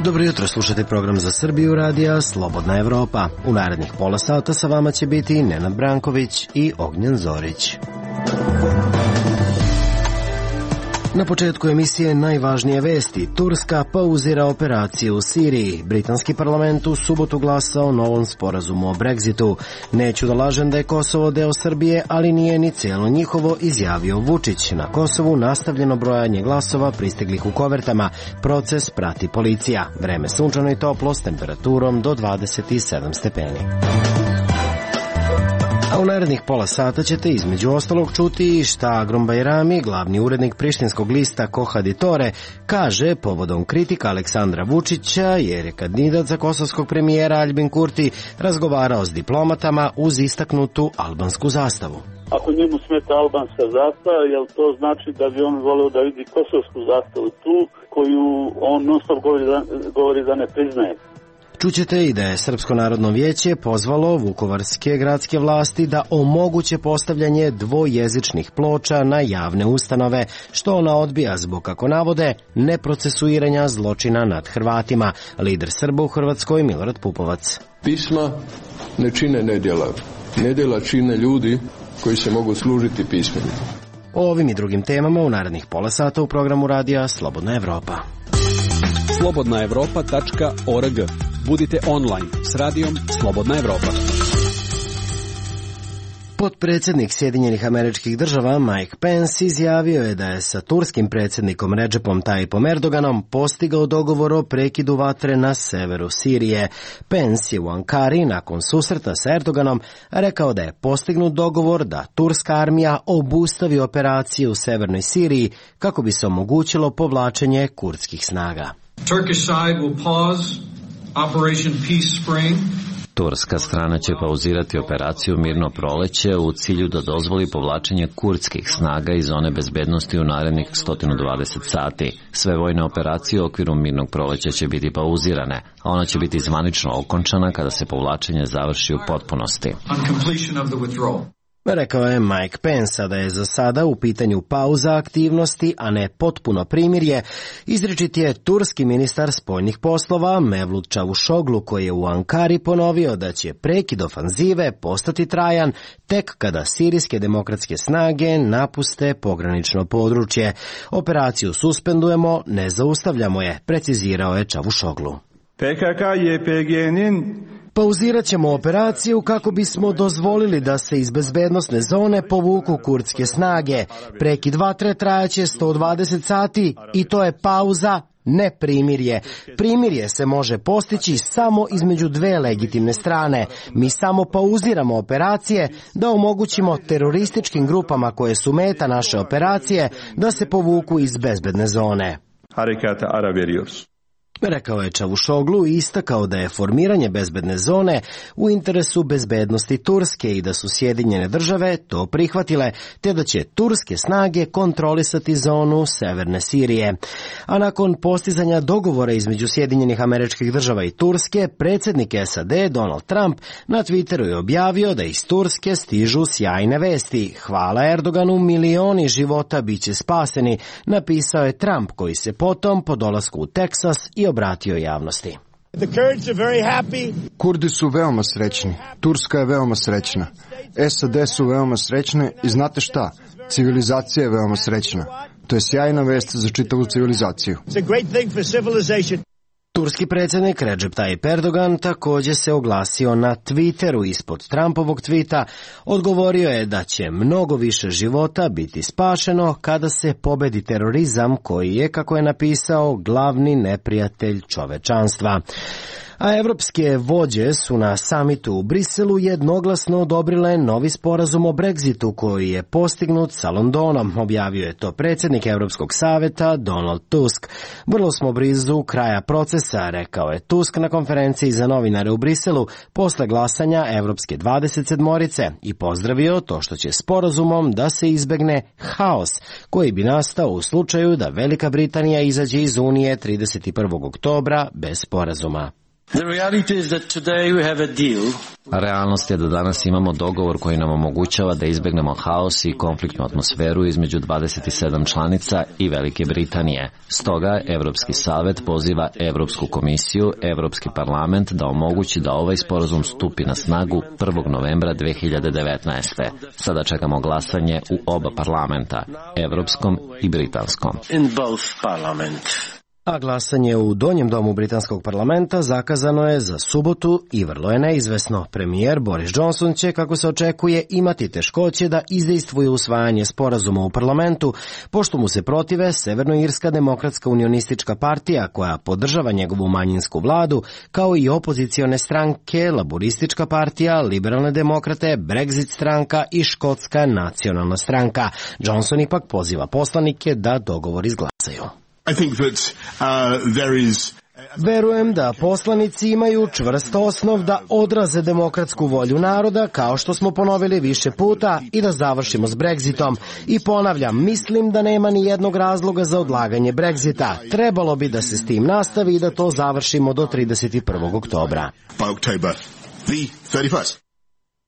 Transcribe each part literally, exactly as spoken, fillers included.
Dobro jutro, slušate program za Srbiju radija Slobodna Evropa. U narednih pola sata sa vama će biti Nenad Branković i Ognjen Zorić. Na početku emisije najvažnije vesti. Turska pauzira operaciju u Siriji. Britanski parlament u subotu glasao o novom sporazumu o Brexitu. Neću da lažem da je Kosovo deo Srbije, ali nije ni cijelo njihovo, izjavio Vučić. Na Kosovu nastavljeno brojanje glasova pristiglih u kovertama. Proces prati policija. Vreme sunčano i toplo s temperaturom do dvadeset sedam stepeni. A u narednih pola sata ćete između ostalog čuti šta Agrom Bajrami, glavni urednik prištinskog lista Kohaditore, kaže povodom kritika Aleksandra Vučića jer je kandidat za kosovskog premijera Aljbin Kurti razgovarao s diplomatama uz istaknutu albansku zastavu. Ako njemu smeta albanska zastava, jel to znači da bi on voleo da vidi kosovsku zastavu tu, koju on non stop govori da, govori da ne priznaje? Čućete i da je Srpsko narodno vijeće pozvalo vukovarske gradske vlasti da omoguće postavljanje dvojezičnih ploča na javne ustanove, što ona odbija zbog, kako navode, neprocesuiranja zločina nad Hrvatima. Lider Srba u Hrvatskoj Milorad Pupovac. Pisma ne čine nedjela. Nedjela čine ljudi koji se mogu služiti pismima. O ovim i drugim temama u narednih pola sata u programu radija Slobodna Evropa. slobodna evropa tačka org. Budite online s radijom Slobodna Evropa. Potpredsjednik Sjedinjenih Američkih Država Mike Pence izjavio je da je sa turskim predsjednikom Recepom Tayyipom Erdoganom postigao dogovor o prekidu vatre na severu Sirije. Pence je u Ankari nakon susreta sa Erdoganom rekao da je postignut dogovor da turska armija obustavi operaciju u severnoj Siriji kako bi se omogućilo povlačenje kurdskih snaga. Turkish side will pause Operation Peace Spring. Turska strana će pauzirati operaciju Mirno proleće u cilju da dozvoli povlačenje kurdskih snaga iz zone bezbednosti u narednih sto dvadeset sati. Sve vojne operacije u okviru Mirnog proleća će biti pauzirane, a ona će biti zvanično okončana kada se povlačenje završi u potpunosti. Rekao je Mike Pence da je za sada u pitanju pauza aktivnosti, a ne potpuno primirje. Izričit je turski ministar spoljnih poslova Mevlut Čavuşoglu, koji je u Ankari ponovio da će prekid ofanzive postati trajan tek kada sirijske demokratske snage napuste pogranično područje. Operaciju suspendujemo, ne zaustavljamo je, precizirao je Čavuşoglu. P K K Y P G'nin Pauzirat ćemo operaciju kako bismo dozvolili da se iz bezbednosne zone povuku kurdske snage. Prekid vatre trajaće sto dvadeset sati i to je pauza, ne primirje. Primirje se može postići samo između dve legitimne strane. Mi samo pauziramo operacije da omogućimo terorističkim grupama koje su meta naše operacije da se povuku iz bezbedne zone. Harekata ara veriyoruz. Rekao je Čavuşoglu i istakao da je formiranje bezbedne zone u interesu bezbednosti Turske i da su Sjedinjene države to prihvatile, te da će turske snage kontrolisati zonu severne Sirije. A nakon postizanja dogovora između Sjedinjenih Američkih Država i Turske, predsjednik S A D Donald Trump na Twitteru je objavio da iz Turske stižu sjajne vesti. Hvala Erdoganu, milioni života biće spaseni, napisao je Trump, koji se potom po dolasku u Teksas i obratio javnosti. Kurdi su veoma srećni, Turska je veoma srećna, S A D su veoma srećne i znate šta? Civilizacija je veoma srećna. To je sjajna vest za čitavu civilizaciju. Turski predsjednik Recep Tayyip Erdogan također se oglasio na Twitteru ispod Trumpovog tvita. Odgovorio je da će mnogo više života biti spašeno kada se pobedi terorizam koji je, kako je napisao, glavni neprijatelj čovečanstva. A evropske vođe su na samitu u Briselu jednoglasno odobrile novi sporazum o Brexitu koji je postignut sa Londonom, objavio je to predsjednik Europskog saveta Donald Tusk. Vrlo smo blizu kraja procesa, rekao je Tusk na konferenciji za novinare u Briselu posle glasanja Evropske dvadeset sedmorice i pozdravio to što će sporazumom da se izbegne haos koji bi nastao u slučaju da Velika Britanija izađe iz Unije trideset prvog oktobra bez sporazuma. Realnost je da danas imamo dogovor koji nam omogućava da izbegnemo haos i konfliktnu atmosferu između dvadeset sedam članica i Velike Britanije. Stoga, Evropski savet poziva Evropsku komisiju, Evropski parlament da omogući da ovaj sporazum stupi na snagu prvog novembra dve hiljade devetnaeste. Sada čekamo glasanje u oba parlamenta, Evropskom i Britanskom. A glasanje u donjem domu britanskog parlamenta zakazano je za subotu i vrlo je neizvesno. Premijer Boris Johnson će, kako se očekuje, imati teškoće da izdejstvuje usvajanje sporazuma u parlamentu, pošto mu se protive Severnoirska demokratska unionistička partija, koja podržava njegovu manjinsku vladu, kao i opozicione stranke, Laboristička partija, Liberalne demokrate, Brexit stranka i Škotska nacionalna stranka. Johnson ipak poziva poslanike da dogovor izglasaju. I think that uh, there is Verujem da poslanici imaju čvrst osnov da odraze demokratsku volju naroda, kao što smo ponovili više puta, i da završimo s Brexitom. I ponavljam, mislim da nema ni jednog razloga za odlaganje Brexita. Trebalo bi da se s tim nastavi i da to završimo do trideset prvog oktobra.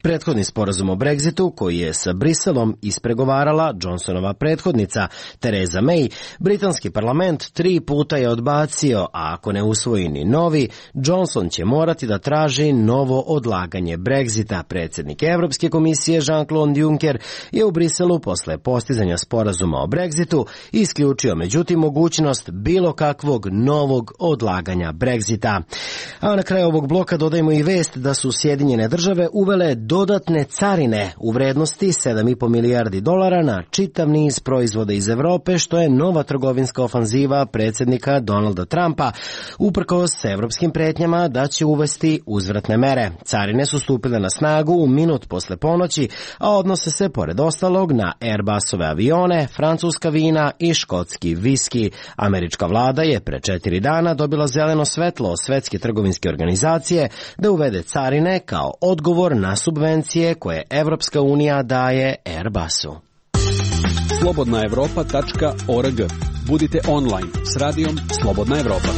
Prethodni sporazum o Brexitu, koji je sa Briselom ispregovarala Johnsonova prethodnica Theresa May, britanski parlament tri puta je odbacio, a ako ne usvoji ni novi, Johnson će morati da traži novo odlaganje Brexita. Predsjednik Evropske komisije Jean-Claude Juncker je u Briselu posle postizanja sporazuma o Brexitu isključio međutim mogućnost bilo kakvog novog odlaganja Brexita. A na kraju ovog bloka dodajemo i vest da su Sjedinjene države uvele dodatne carine u vrednosti sedam i po milijardi dolara na čitav niz proizvoda iz Evrope, što je nova trgovinska ofanziva predsjednika Donalda Trumpa, uprkos evropskim pretnjama da će uvesti uzvratne mere. Carine su stupile na snagu u minut posle ponoći, a odnose se pored ostalog na Airbusove avione, francuska vina i škotski viski. Američka vlada je pre četiri dana dobila zeleno svetlo od Svetske trgovinske organizacije da uvede carine kao odgovor na subvencije koje Evropska unija daje Airbusu. slobodna evropa tačka org. Budite online s radijom Slobodna Evropa.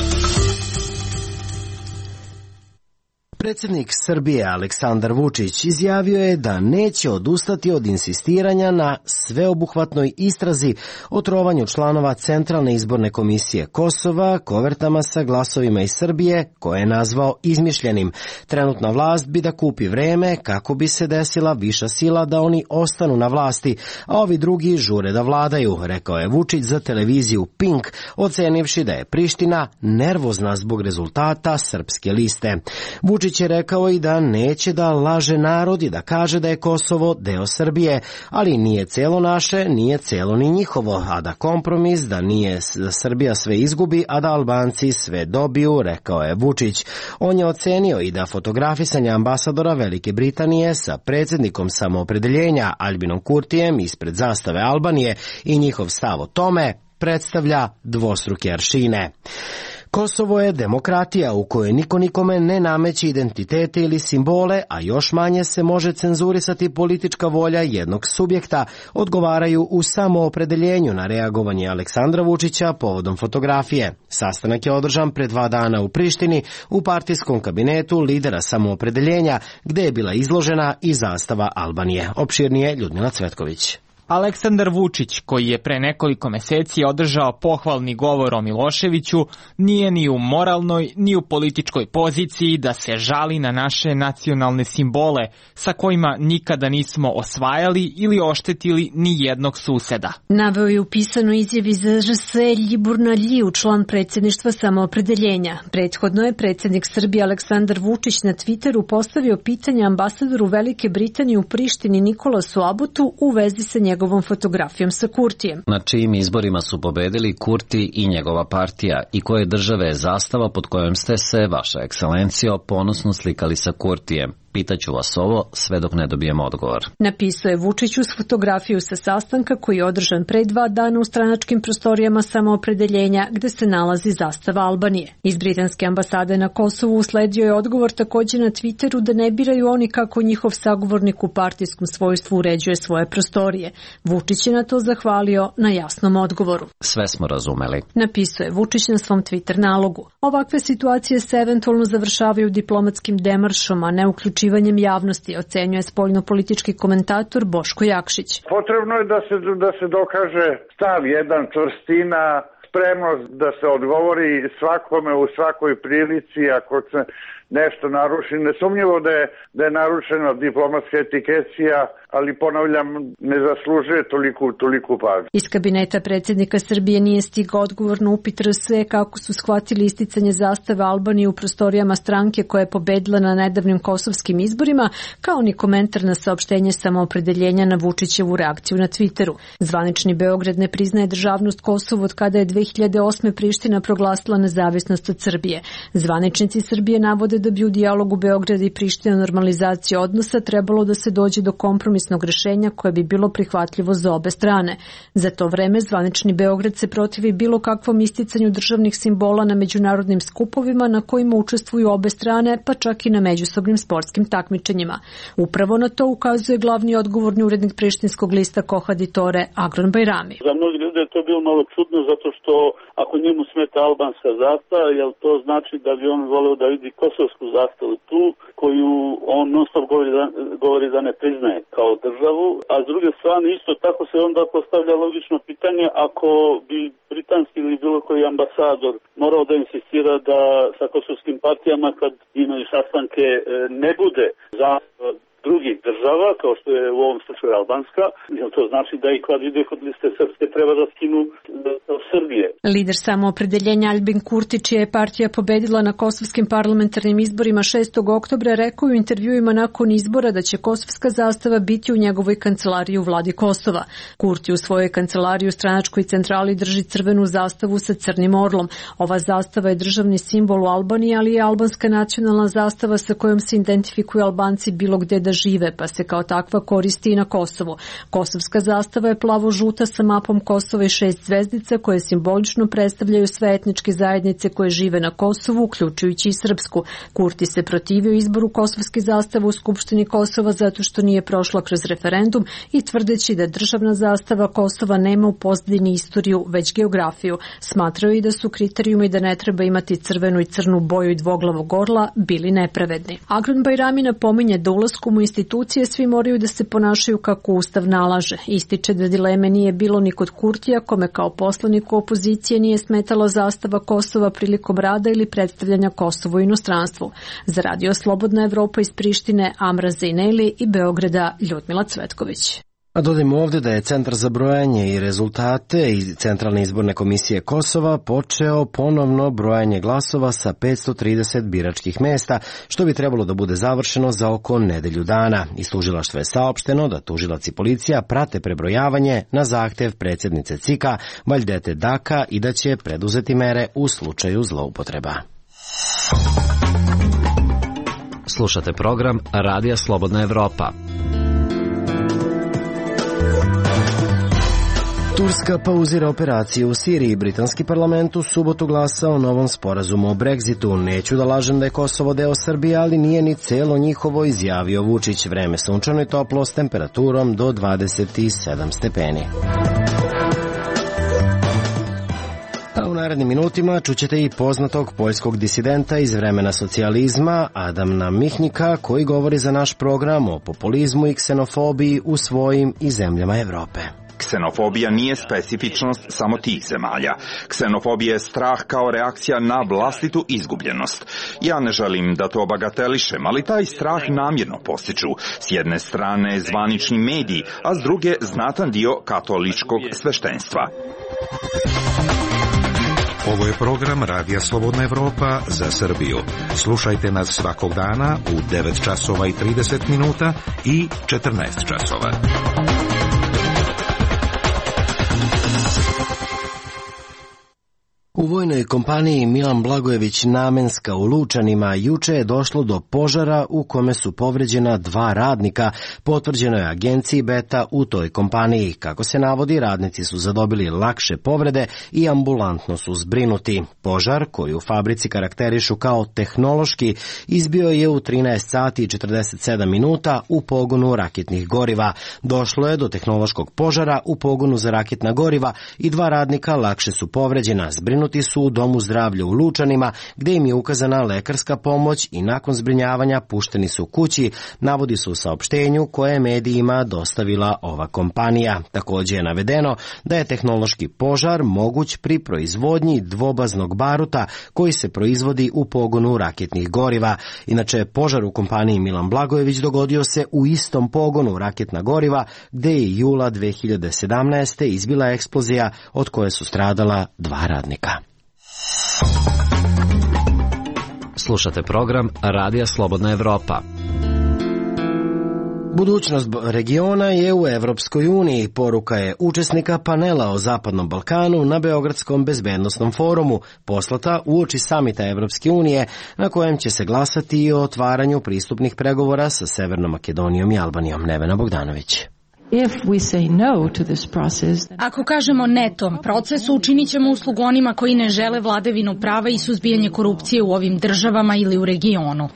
Predsjednik Srbije Aleksandar Vučić izjavio je da neće odustati od insistiranja na sveobuhvatnoj istrazi o trovanju članova Centralne izborne komisije Kosova kovertama sa glasovima iz Srbije, koje je nazvao izmišljenim. Trenutna vlast bi da kupi vreme kako bi se desila viša sila da oni ostanu na vlasti, a ovi drugi žure da vladaju, rekao je Vučić za televiziju Pink, ocenivši da je Priština nervozna zbog rezultata Srpske liste. Vučić je rekao i da neće da laže narod i da kaže da je Kosovo deo Srbije, ali nije celo naše, nije celo ni njihovo, a da kompromis da nije da Srbija sve izgubi, a da Albanci sve dobiju, rekao je Vučić. On je ocenio i da fotografisanje ambasadora Velike Britanije sa predsjednikom samoopredeljenja Albinom Kurtijem ispred zastave Albanije i njihov stav o tome predstavlja dvostruke aršine. Kosovo je demokratija u kojoj niko nikome ne nameće identitete ili simbole, a još manje se može cenzurisati politička volja jednog subjekta, odgovaraju u samoopredeljenju na reagovanje Aleksandra Vučića povodom fotografije. Sastanak je održan pre dva dana u Prištini u partijskom kabinetu lidera samoopredeljenja, gde je bila izložena i zastava Albanije. Opširnije Ljudmila Cvetković. Aleksandar Vučić, koji je pre nekoliko meseci održao pohvalni govor o Miloševiću, nije ni u moralnoj ni u političkoj poziciji da se žali na naše nacionalne simbole sa kojima nikada nismo osvajali ili oštetili ni jednog suseda. Naveo je u pisanoj izjavi za R S Ljibor Naljiu, član predsjedništva samoopredeljenja. Prethodno je predsjednik Srbije Aleksandar Vučić na Twitteru postavio pitanje ambasadoru Velike Britanije u Prištini Nikolasu Abutu u vezi sa njegovim njegovom fotografijom sa Kurtijem. Na čijim izborima su pobedili Kurti i njegova partija i koje države je zastava pod kojom ste se, vaša ekscelencijo, ponosno slikali sa Kurtijem. Pitaću vas ovo sve dok ne dobijem odgovor. Napisao je Vučić uz fotografiju sa sastanka koji je održan pre dva dana u stranačkim prostorijama Samoopredeljenja gde se nalazi zastava Albanije. Iz britanske ambasade na Kosovu usledio je odgovor takođe na Twitteru da ne biraju oni kako njihov sagovornik u partijskom svojstvu uređuje svoje prostorije. Vučić je na to zahvalio na jasnom odgovoru. Sve smo razumeli. Napisao je Vučić na svom Twitter nalogu. Ovakve situacije se eventualno završavaju diplomatskim demaršom, a ne uključivanjem javnosti, ocenjuje spoljnopolitički komentator Boško Jakšić. Potrebno je da se, da se dokaže stav jedan, čvrstina, spremnost da se odgovori svakome u svakoj prilici ako se nešto naruši. Nesumnjivo da je, da je narušena diplomatska etikecija, ali ponavljam, ne zaslužuje toliku, toliku pažnju. Iz kabineta predsjednika Srbije nije stigao odgovor na upit R S E kako su shvatili isticanje zastave Albanije u prostorijama stranke koja je pobedila na nedavnim kosovskim izborima, kao ni komentar na saopštenje Samoopredeljenja na Vučićevu reakciju na Twitteru. Zvanični Beograd ne priznaje državnost Kosovu od kada je dve hiljade osme Priština proglasila nezavisnost od Srbije. Zvaničnici Srbije navode da bi u dijalogu Beograda i Priština normalizacije odnosa trebalo da se dođe do kompromisnog rešenja koje bi bilo prihvatljivo za obe strane. Za to vreme zvanični Beograd se protivi bilo kakvom isticanju državnih simbola na međunarodnim skupovima na kojima učestvuju obe strane, pa čak i na međusobnim sportskim takmičenjima. Upravo na to ukazuje glavni odgovorni urednik prištinskog lista Kohaditore Agron Bajrami. Za mnogi ljudi je to bilo malo čudno zato što ako njemu smeta albanska zastava, jel to znači da bi on voleo da vidi kosovsku zastavu tu, koju on non stop govori da, govori da ne priznaje kao državu, a s druge strane isto tako se onda postavlja logično pitanje ako bi britanski ili bilo koji ambasador morao da insistira da sa kosovskim partijama kad imaju sastanke ne bude zastava drugih država, kao što je u ovom slučaju albanska, jer to znači da i kad ide kod liste srpske treba da skinu od Srbije. Lider Samoopredeljenja Aljbin Kurti, čija je partija pobedila na kosovskim parlamentarnim izborima šestog oktobra, rekao u intervjuima nakon izbora da će kosovska zastava biti u njegovoj kancelariji u vladi Kosova. Kurti u svojoj kancelariji u stranačkoj centrali drži crvenu zastavu sa crnim orlom. Ova zastava je državni simbol u Albaniji, ali je albanska nacionalna zastava sa kojom se identifikuju Albanci bilo gde da žive, pa se kao takva koristi i na Kosovu. Kosovska zastava je plavo-žuta sa mapom Kosova i šest zvezdica koje simbolično predstavljaju sve etničke zajednice koje žive na Kosovu, uključujući i srpsku. Kurti se protivio izboru kosovske zastave u Skupštini Kosova zato što nije prošla kroz referendum i tvrdeći da državna zastava Kosova nema u pozadini istoriju, već geografiju. Smatraju i da su kriterijumi da ne treba imati crvenu i crnu boju i dvoglavog orla bili nepravedni. Agron Bajrami napominje da ulaskom u institucije svi moraju da se ponašaju kako Ustav nalaže. Ističe da dileme nije bilo ni kod Kurtija, kome kao poslaniku opozicije nije smetala zastava Kosova prilikom rada ili predstavljanja Kosova u inostranstvu. Za Radio Slobodna Evropa iz Prištine Amra Zejneli i Beograda Ljudmila Cvetković. A dodajmo ovde da je Centar za brojanje i rezultate i Centralne izborne komisije Kosova počeo ponovno brojanje glasova sa petsto trideset biračkih mesta, što bi trebalo da bude završeno za oko nedelju dana. Iz tužilaštva je saopšteno da tužilac i policija prate prebrojavanje na zahtev predsjednice C I K-a Valjdete Daka i da će preduzeti mere u slučaju zloupotreba. Slušate program Radija Slobodna Evropa. Turska pauzira operaciju u Siriji. Britanski parlament u subotu glasa o novom sporazumu o Brexitu. Neću da lažem da je Kosovo deo Srbije, ali nije ni celo njihovo, izjavio Vučić. Vreme sunčano i toplo s temperaturom do dvadeset sedam stepeni. A u narednim minutima čućete i poznatog poljskog disidenta iz vremena socijalizma Adama Mihnika, koji govori za naš program o populizmu i ksenofobiji u svojim i zemljama Evrope. Ksenofobija nije specifičnost samo tih zemalja. Ksenofobija je strah kao reakcija na vlastitu izgubljenost. Ja ne želim da to bagatelišem, ali taj strah namjerno postiču. S jedne strane zvanični mediji, a s druge znatan dio katoličkog sveštenstva. Ovo je program Radija Slobodna Evropa za Srbiju. Slušajte nas svakog dana u devet časova i trideset minuta i četrnaest časova. U vojnoj kompaniji Milan Blagojević Namenska u Lučanima juče je došlo do požara u kome su povređena dva radnika, potvrđeno je agenciji Beta u toj kompaniji. Kako se navodi, radnici su zadobili lakše povrede i ambulantno su zbrinuti. Požar, koji u fabrici karakterišu kao tehnološki, izbio je u trinaest sati i četrdeset sedam minuta u pogonu raketnih goriva. Došlo je do tehnološkog požara u pogonu za raketna goriva i dva radnika lakše su povređena. Zbrinuti su u Domu zdravlja u Lučanima, gde im je ukazana lekarska pomoć i nakon zbrinjavanja pušteni su kući, navodi se u saopštenju koje je medijima dostavila ova kompanija. Također je navedeno da je tehnološki požar moguć pri proizvodnji dvobaznog baruta koji se proizvodi u pogonu raketnih goriva. Inače, požar u kompaniji Milan Blagojević dogodio se u istom pogonu raketna goriva, gde je jula dve hiljade sedamnaeste. izbila eksplozija od koje su stradala dva radnika. Slušate program Radija Slobodna Evropa. Budućnost regiona je u Evropskoj uniji, poruka je učesnika panela o Zapadnom Balkanu na Beogradskom bezbednosnom forumu, poslata uoči samita Evropske unije, na kojem će se glasati i o otvaranju pristupnih pregovora sa Severnom Makedonijom i Albanijom. Nevena Bogdanović. Ako kažemo ne tom procesu, učinit ćemo uslugu onima koji ne žele vladavinu prava i suzbijanje korupcije u ovim državama ili u regionu.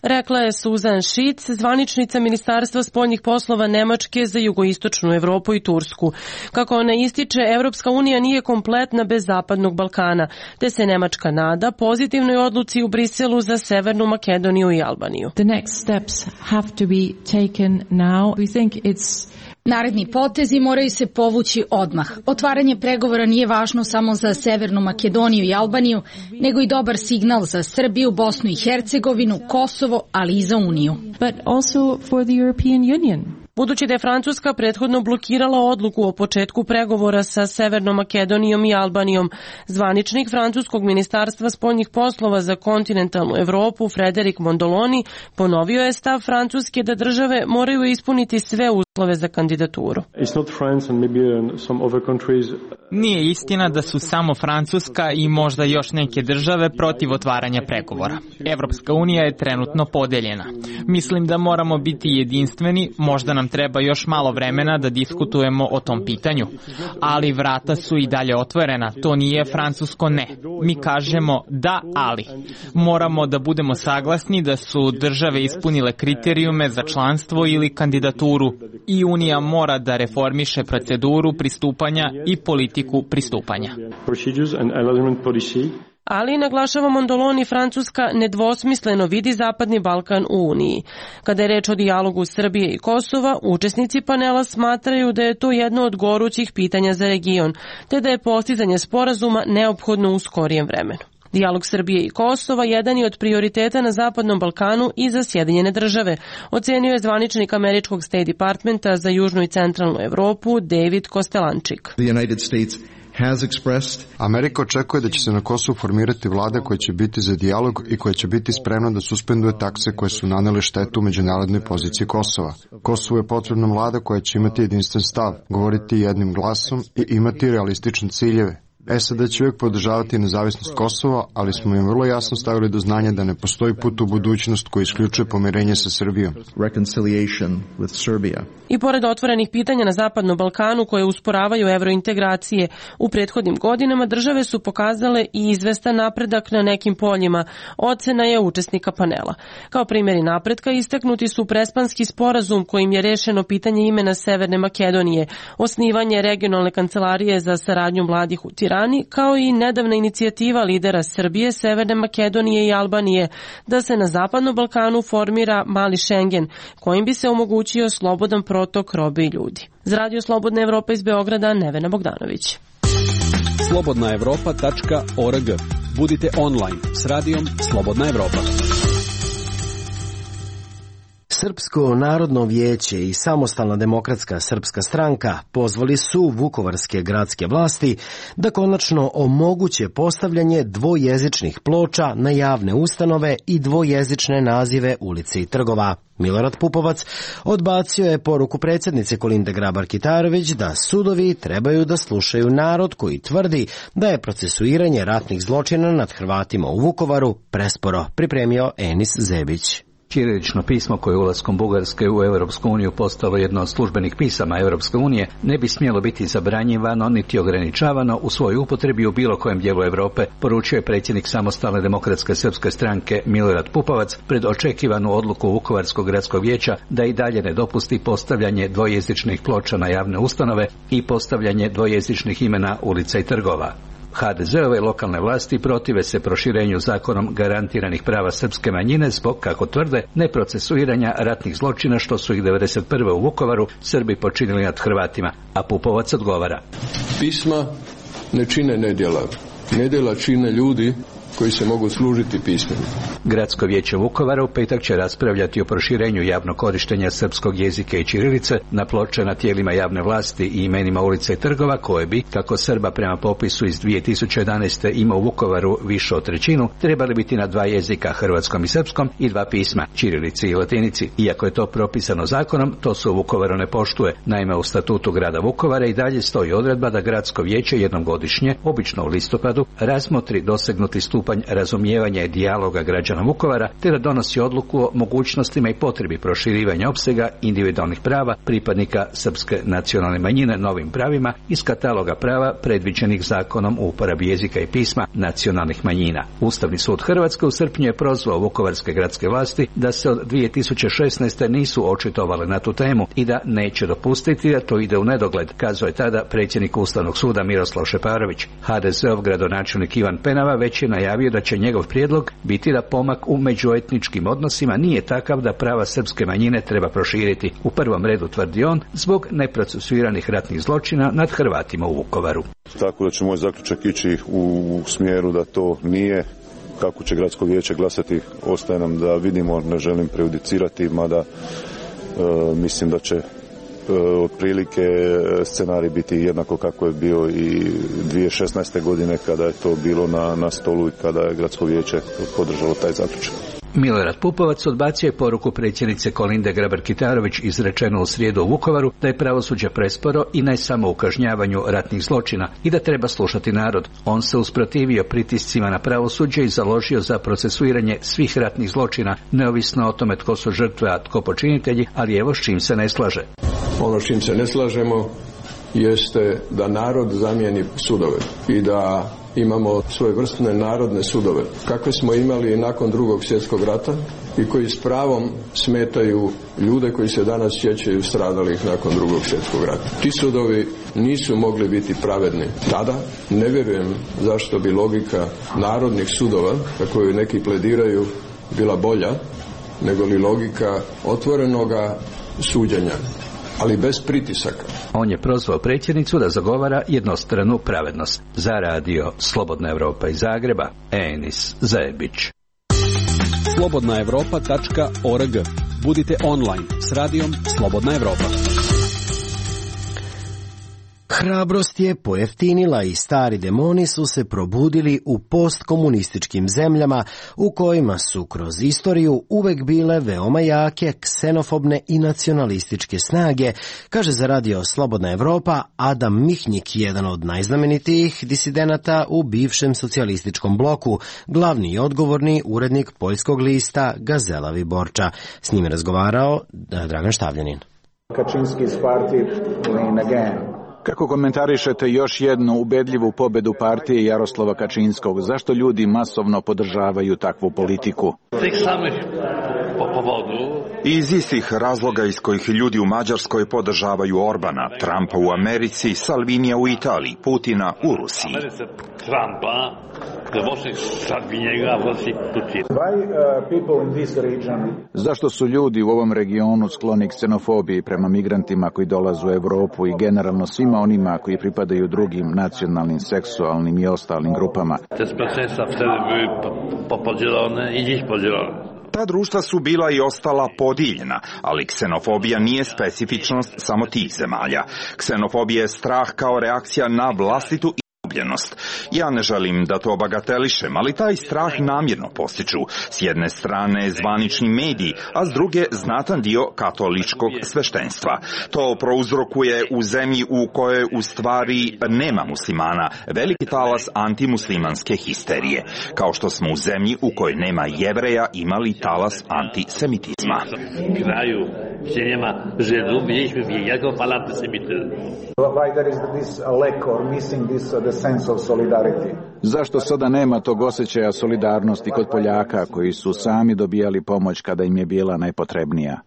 Rekla je Suzan Šic, zvaničnica Ministarstva spoljnih poslova Nemačke za jugoistočnu Evropu i Tursku. Kako ona ističe, Evropska unija nije kompletna bez Zapadnog Balkana, te se Nemačka nada pozitivnoj odluci u Briselu za Severnu Makedoniju i Albaniju. The next steps have to be taken now. We think it's Naredni potezi moraju se povući odmah. Otvaranje pregovora nije važno samo za Severnu Makedoniju i Albaniju, nego i dobar signal za Srbiju, Bosnu i Hercegovinu, Kosovo, ali i za Uniju. But also for the European Union. Budući da je Francuska prethodno blokirala odluku o početku pregovora sa Severnom Makedonijom i Albanijom, zvaničnik francuskog ministarstva spoljnih poslova za kontinentalnu Evropu, Frederik Mondoloni, ponovio je stav Francuske da države moraju ispuniti sve uslove za kandidaturu. Nije istina da su samo Francuska i možda još neke države protiv otvaranja pregovora. Evropska unija je trenutno podeljena. Mislim da moramo biti jedinstveni, možda nam treba još malo vremena da diskutujemo o tom pitanju, ali vrata su i dalje otvorena, to nije francusko ne. Mi kažemo da, ali. Moramo da budemo saglasni da su države ispunile kriterijume za članstvo ili kandidaturu i Unija mora da reformiše proceduru pristupanja i politiku pristupanja. Ali, naglašava Mondoloni, Francuska nedvosmisleno vidi Zapadni Balkan u Uniji. Kada je reč o dijalogu Srbije i Kosova, učesnici panela smatraju da je to jedno od gorućih pitanja za region, te da je postizanje sporazuma neophodno u skorijem vremenu. Dijalog Srbije i Kosova jedan je od prioriteta na Zapadnom Balkanu i za Sjedinjene države, ocenio je zvaničnik američkog State Departmenta za južnu i centralnu Evropu David Kostelančik. The United States has expressed. Amerika očekuje da će se na Kosovu formirati vlada koja će biti za dijalog i koja će biti spremna da suspenduje takse koje su nanele štetu međunarodnoj poziciji Kosova. Kosovu je potrebna vlada koja će imati jedinstven stav, govoriti jednim glasom i imati realistične ciljeve. S A D će uvijek podržavati nezavisnost Kosova, ali smo im vrlo jasno stavili do znanja da ne postoji put u budućnost koji isključuje pomirenje sa Srbijom. Reconciliation with Serbia. I pored otvorenih pitanja na Zapadnom Balkanu koje usporavaju evrointegracije, u prethodnim godinama države su pokazale i izvestan napredak na nekim poljima, ocena je učesnika panela. Kao primjeri napretka istaknuti su Prespanski sporazum kojim je rešeno pitanje imena Severne Makedonije, osnivanje regionalne kancelarije za saradnju mladih u Tirani, kao i nedavna inicijativa lidera Srbije, Severne Makedonije i Albanije da se na Zapadnom Balkanu formira mali Schengen, kojim bi se omogućio slobodan protok robe i ljudi. Za Radio Slobodna Evropa iz Beograda, Nevena Bogdanović. slobodna evropa tačka org. Budite online s radijom Slobodna Evropa. Srpsko narodno vijeće i Samostalna demokratska srpska stranka pozvali su vukovarske gradske vlasti da konačno omoguće postavljanje dvojezičnih ploča na javne ustanove i dvojezične nazive ulice i trgova. Milorad Pupovac odbacio je poruku predsjednice Kolinde Grabar-Kitarović da sudovi trebaju da slušaju narod koji tvrdi da je procesuiranje ratnih zločina nad Hrvatima u Vukovaru presporo, pripremio Enis Zebić. Ćirilično pismo koje je ulaskom Bugarske u Europsku uniju postalo jedno od službenih pisama Europske unije ne bi smjelo biti zabranjivano niti ograničavano u svojoj upotrebi u bilo kojem dijelu Europe, poručio je predsjednik Samostalne demokratske srpske stranke Milorad Pupovac pred očekivanu odluku Vukovarskog gradskog vijeća da i dalje ne dopusti postavljanje dvojezičnih ploča na javne ustanove i postavljanje dvojezičnih imena ulica i trgova. ha de ze-ove lokalne vlasti protive se proširenju zakonom garantiranih prava srpske manjine zbog, kako tvrde, neprocesuiranja ratnih zločina što su ih devedeset prve u Vukovaru Srbi počinili nad Hrvatima, a Pupovac odgovara. Pisma ne čine nedjela. Nedjela čine ljudi koji se mogu služiti pismom. Gradsko vijeće Vukovara u petak će raspravljati o proširenju javnog korištenja srpskog jezika i ćirilice na ploče na tijelima javne vlasti i imenima ulica i trgova koje bi, kako Srba prema popisu iz dvije tisuće jedanaeste ima u Vukovaru više od trećinu, trebali biti na dva jezika, hrvatskom i srpskom, i dva pisma, ćirilici i latinici. Iako je to propisano zakonom, to se u Vukovaru ne poštuje. Naime, u statutu grada Vukovara i dalje stoji odredba da gradsko vijeće jednom godišnje, obično u listopadu, razmotri dosegnuti stupanj razumijevanja i dijaloga građana Vukovara, te da donosi odluku o mogućnostima i potrebi proširivanja opsega individualnih prava pripadnika srpske nacionalne manjine novim pravima iz kataloga prava predviđenih zakonom o uporabi jezika i pisma nacionalnih manjina. Ustavni sud Hrvatske u srpnju je prozvao vukovarske gradske vlasti da se od dvije tisuće šesnaeste nisu očitovale na tu temu i da neće dopustiti da to ide u nedogled, kazao je tada predsjednik Ustavnog suda Miroslav Šeparović. ha de ze-ov gradonačelnik Ivan Penava već je najavio da će njegov prijedlog biti da pomak u međuetničkim odnosima nije takav da prava srpske manjine treba proširiti. U prvom redu, tvrdi on, zbog neprocesuiranih ratnih zločina nad Hrvatima u Vukovaru. Tako da će moj zaključak ići u smjeru da to nije. Kako će gradsko vijeće glasati, ostaje nam da vidimo, ne želim prejudicirati, mada e, mislim da će otprilike scenarij biti jednako kako je bio i dvije tisuće šesnaeste. godine kada je to bilo na, na stolu i kada je gradsko vijeće podržalo taj zaključak. Milorad Pupovac odbacio je poruku predsjednice Kolinde Grabar-Kitarović izrečenu u srijedu u Vukovaru da je pravosuđe presporo i ne samo u kažnjavanju ratnih zločina i da treba slušati narod. On se usprotivio pritiscima na pravosuđe i založio za procesuiranje svih ratnih zločina, neovisno o tome tko su žrtve, a tko počinitelji, ali evo s čim se ne slaže. Ono s čim se ne slažemo jeste da narod zamijeni sudove i da imamo svojevrsne narodne sudove, kakve smo imali nakon drugog svjetskog rata i koji s pravom smetaju ljude koji se danas sjećaju stradalih nakon drugog svjetskog rata. Ti sudovi nisu mogli biti pravedni tada. Ne vjerujem zašto bi logika narodnih sudova, na koju neki plediraju, bila bolja nego li logika otvorenoga suđenja, ali bez pritisaka. On je prozvao predsjednicu da zagovara jednostranu pravednost. Za radio Slobodna Evropa iz Zagreba, Enis Zebić. slobodna evropa tačka org. Budite online s radijom Slobodna Evropa. Hrabrost je pojeftinila i stari demoni su se probudili u postkomunističkim zemljama u kojima su kroz istoriju uvek bile veoma jake, ksenofobne i nacionalističke snage, kaže za radio Slobodna Evropa Adam Mihnjik, jedan od najznamenitijih disidenata u bivšem socijalističkom bloku, glavni i odgovorni urednik poljskog lista Gazela Viborča. S njim je razgovarao Dragan Štavljanin. Kaczynski's party win again. Kako komentarišete još jednu ubedljivu pobedu partije Jaroslava Kačinskog? Zašto ljudi masovno podržavaju takvu politiku? Iz istih razloga iz kojih ljudi u Mađarskoj podržavaju Orbana, Trumpa u Americi, Salvinija u Italiji, Putina u Rusiji. Zašto su ljudi u ovom regionu skloni ksenofobiji prema migrantima koji dolaze u Evropu i generalno svima onima koji pripadaju drugim nacionalnim, seksualnim i ostalim grupama? Ta društva su bila i ostala podijeljena, ali ksenofobija nije specifičnost samo tih zemalja. Ksenofobija je strah kao reakcija na vlastitu izgubljenost. Ja ne želim da to bagatelišem, ali taj strah namjerno postiču. S jedne strane zvanični mediji, a s druge znatan dio katoličkog sveštenstva. To prouzrokuje u zemlji u kojoj u stvari nema muslimana veliki talas antimuslimanske histerije, kao što smo u zemlji u kojoj nema Jevreja imali talas antisemitizma. Kraju, gdje nema Židov, mieliśmy wielkiego fala antysemityzmu. Why there is this lack or missing this uh, the sense of solidarity? Zašto sada nema tog osjećaja solidarnosti kod Poljaka koji su sami dobijali pomoć kada im je bila najpotrebnija?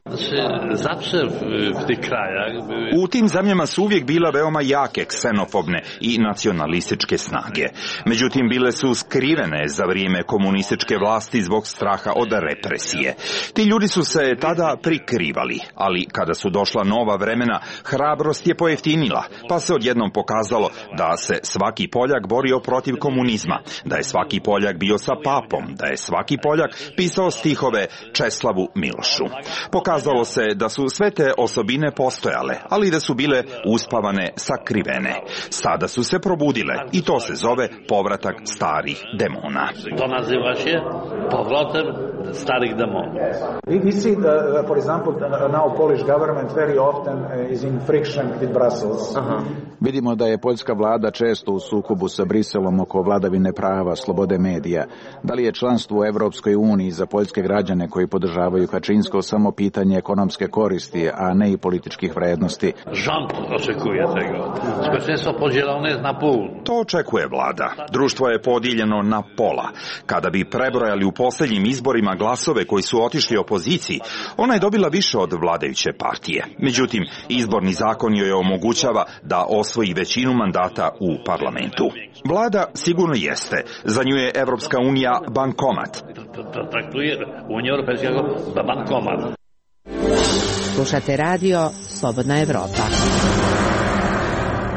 U tim zemljama su uvijek bile veoma jake ksenofobne i nacionalističke snage. Međutim, bile su skrivene za vrijeme komunističke vlasti zbog straha od represije. Ti ljudi su se tada prikrivali, ali kada su došla nova vremena, hrabrost je pojeftinila, pa se odjednom pokazalo da se svaki Poljak borio protiv komunizma, da je svaki Poljak bio sa papom, da je svaki Poljak pisao stihove Česlavu Milošu. Pokazalo se da su sve te osobine postojale, ali da su bile uspavane, sakrivene. Sada su se probudile i to se zove povratak starih demona. To naziva se povratak starih demona. We see, the, for example, now Polish government very often is in friction with Brussels. Uh-huh. Vidimo da je poljska vlada često u sukobu sa Briselom oko vladavine prava, slobode medija. Da li je članstvo u Evropskoj uniji za poljske građane koji podržavaju Kačinsko samo pitanje ekonomske koristi, a ne i političkih vrednosti? Rząd očekuje tego. Społeczeństwo podzielone jest na pół. To očekuje vlada. Društvo je podijeljeno na pola. Kada bi prebrojali u posljednjim izborima glasove koji su otišli opoziciji, ona je dobila više od vladajuće partije. Međutim, izborni zakon joj omogućava da osvoji većinu mandata u parlamentu. Vlada sigurno jeste. Za nju je Evropska unija bankomat. Traktuje Unija Europejska kao bankomat. Slušate radio Slobodna Evropa.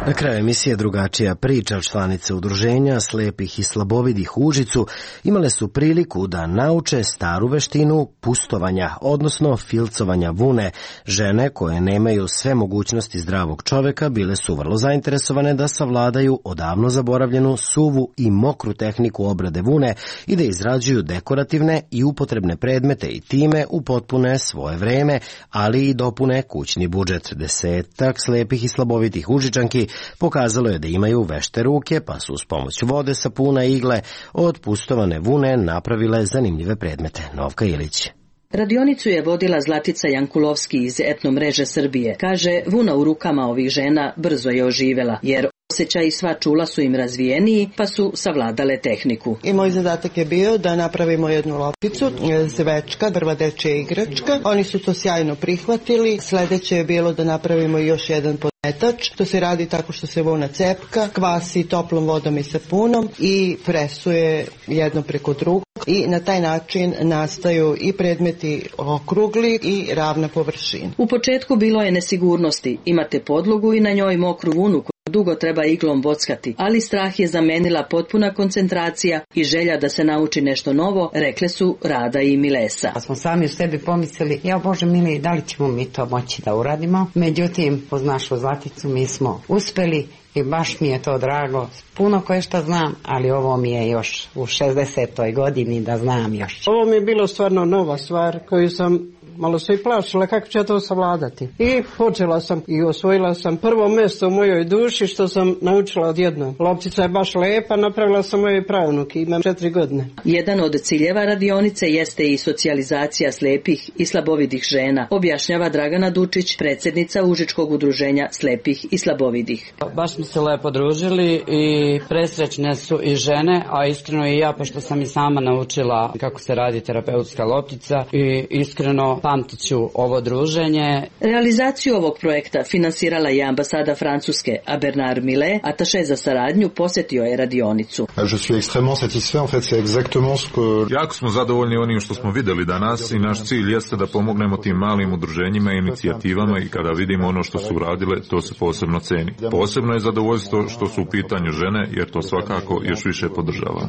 Na kraju emisije drugačija priča. Članice udruženja slepih i slabovidih u Užicu imale su priliku da nauče staru veštinu pustovanja, odnosno filcovanja vune. Žene koje nemaju sve mogućnosti zdravog čoveka bile su vrlo zainteresovane da savladaju odavno zaboravljenu suvu i mokru tehniku obrade vune i da izrađuju dekorativne i upotrebne predmete i time upotpune svoje vreme, ali i dopune kućni budžet. Desetak slepih i slabovitih Užičanki pokazalo je da imaju vešte ruke, pa su uz pomoć vode, sapuna i igle od pustovane vune napravile zanimljive predmete. Novka Ilić. Radionicu je vodila Zlatica Jankulovski iz Etno mreže Srbije. Kaže, vuna u rukama ovih žena brzo je oživela, jer osjećaj i sva čula su im razvijeniji, pa su savladale tehniku. I moj zadatak je bio da napravimo jednu lopticu, zvečka, drva dečja igračka. Oni su to sjajno prihvatili. Sledeće je bilo da napravimo još jedan podmetač. To se radi tako što se vuna cepka, kvasi toplom vodom i sapunom i presuje jedno preko drugog. I na taj način nastaju i predmeti okrugli i ravna površina. U početku bilo je nesigurnosti. Imate podlogu i na njoj mokru vunu koju dugo treba iglom bockati, ali strah je zamenila potpuna koncentracija i želja da se nauči nešto novo, rekle su Rada i Milesa. Pa smo sami u sebi pomislili, ja Bože mili, da li ćemo mi to moći da uradimo? Međutim, uz našu Zlaticu mi smo uspeli i baš mi je to drago. Puno koje što znam, ali ovo mi je još u šezdesetoj godini da znam još. Ovo mi je bilo stvarno nova stvar koju sam malo se i plašila kako će to savladati. I počela sam i osvojila sam prvo mjesto u mojoj duši što sam naučila odjednom. Loptica je baš lepa, napravila sam mojoj pravnuki, imam četiri godine. Jedan od ciljeva radionice jeste i socijalizacija slepih i slabovidih žena, objašnjava Dragana Dučić, predsjednica Užičkog udruženja slepih i slabovidih. Baš smo se lepo družili i presrećne su i žene, a iskreno i ja, pošto sam i sama naučila kako se radi terapeutska loptica i iskreno zapamtit ću ovo druženje. Realizaciju ovog projekta finansirala je ambasada Francuske, a Bernard Millet, ataše za saradnju, posjetio je radionicu. Je suis extrêmement satisfait, en fait, c'est exactement ce que... Jako smo zadovoljni onim što smo videli danas i naš cilj jeste da pomognemo tim malim udruženjima i inicijativama i kada vidimo ono što su uradile, to se posebno ceni. Posebno je zadovoljstvo što su u pitanju žene, jer to svakako još više podržava.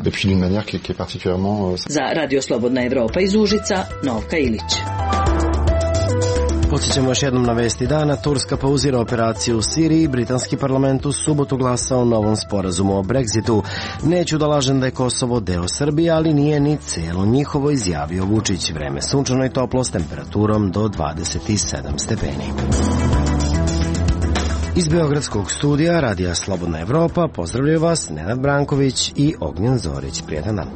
Za Radio Slobodna Evropa iz Užica, Novka Ilić. Podsjećamo još jednom na vesti dana. Turska pauzira operaciju u Siriji. Britanski parlament u subotu glasao o novom sporazumu o Brexitu. Neću da lažem da je Kosovo deo Srbije, ali nije ni celo njihovo, izjavio Vučić. Vreme sunčano i toplo s temperaturom do dvadeset sedam stepeni. Iz Beogradskog studija Radija Slobodna Evropa pozdravljaju vas Nenad Branković i Ognjen Zorić. Prijetan dan.